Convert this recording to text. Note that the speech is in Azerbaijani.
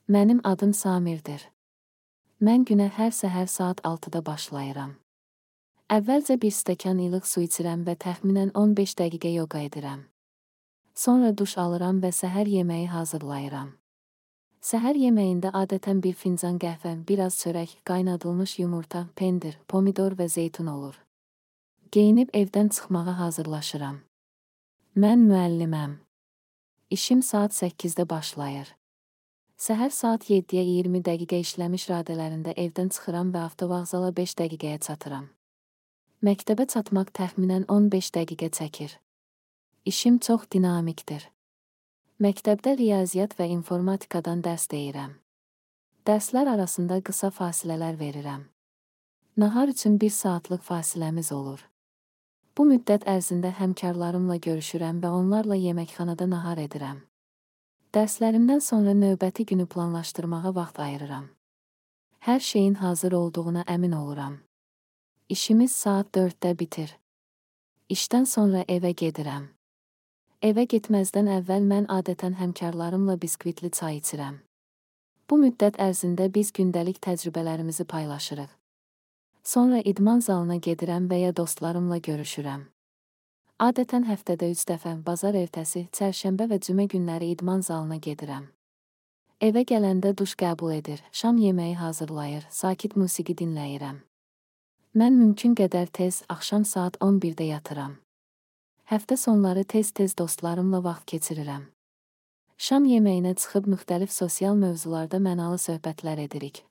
Mənim adım Samirdir. Mən günə hər səhər saat 6-da başlayıram. Əvvəlcə bir stəkan ilıq su içirəm və təxminən 15 dəqiqə yoga edirəm. Sonra duş alıram və səhər yeməyi hazırlayıram. Səhər yeməyində adətən bir fincan qəhvə, biraz çörək, qaynadılmış yumurta, pendir, pomidor və zeytun olur. Geyinib evdən çıxmağa hazırlaşıram. Mən müəlliməm. İşim saat 8-də başlayır. Səhər saat 7-yə 20 dəqiqə işləmiş radələrində evdən çıxıram və avtovağzala 5 dəqiqəyə çatıram. Məktəbə çatmaq təxminən 15 dəqiqə çəkir. İşim çox dinamikdir. Məktəbdə riyaziyyat və informatikadan dərs deyirəm. Dərslər arasında qısa fasilələr verirəm. Nahar üçün 1 saatlıq fasiləmiz olur. Bu müddət ərzində həmkarlarımla görüşürəm və onlarla yeməkxanada nahar edirəm. Dərslərimdən sonra növbəti günü planlaşdırmağa vaxt ayırıram. Hər şeyin hazır olduğuna əmin oluram. İşimiz saat 4-də bitir. İşdən sonra evə gedirəm. Evə getməzdən əvvəl mən adətən həmkarlarımla biskvitli çay içirəm. Bu müddət ərzində biz gündəlik təcrübələrimizi paylaşırıq. Sonra idman zalına gedirəm və ya dostlarımla görüşürəm. Adətən həftədə 3 dəfə, bazar ertəsi, çərşənbə və cümə günləri idman zalına gedirəm. Evə gələndə duş qəbul edir, şam yeməyi hazırlayır, sakit musiqi dinləyirəm. Mən mümkün qədər tez, axşam saat 11-də yatıram. Həftə sonları tez-tez dostlarımla vaxt keçirirəm. Şam yeməyinə çıxıb müxtəlif sosial mövzularda mənalı söhbətlər edirik,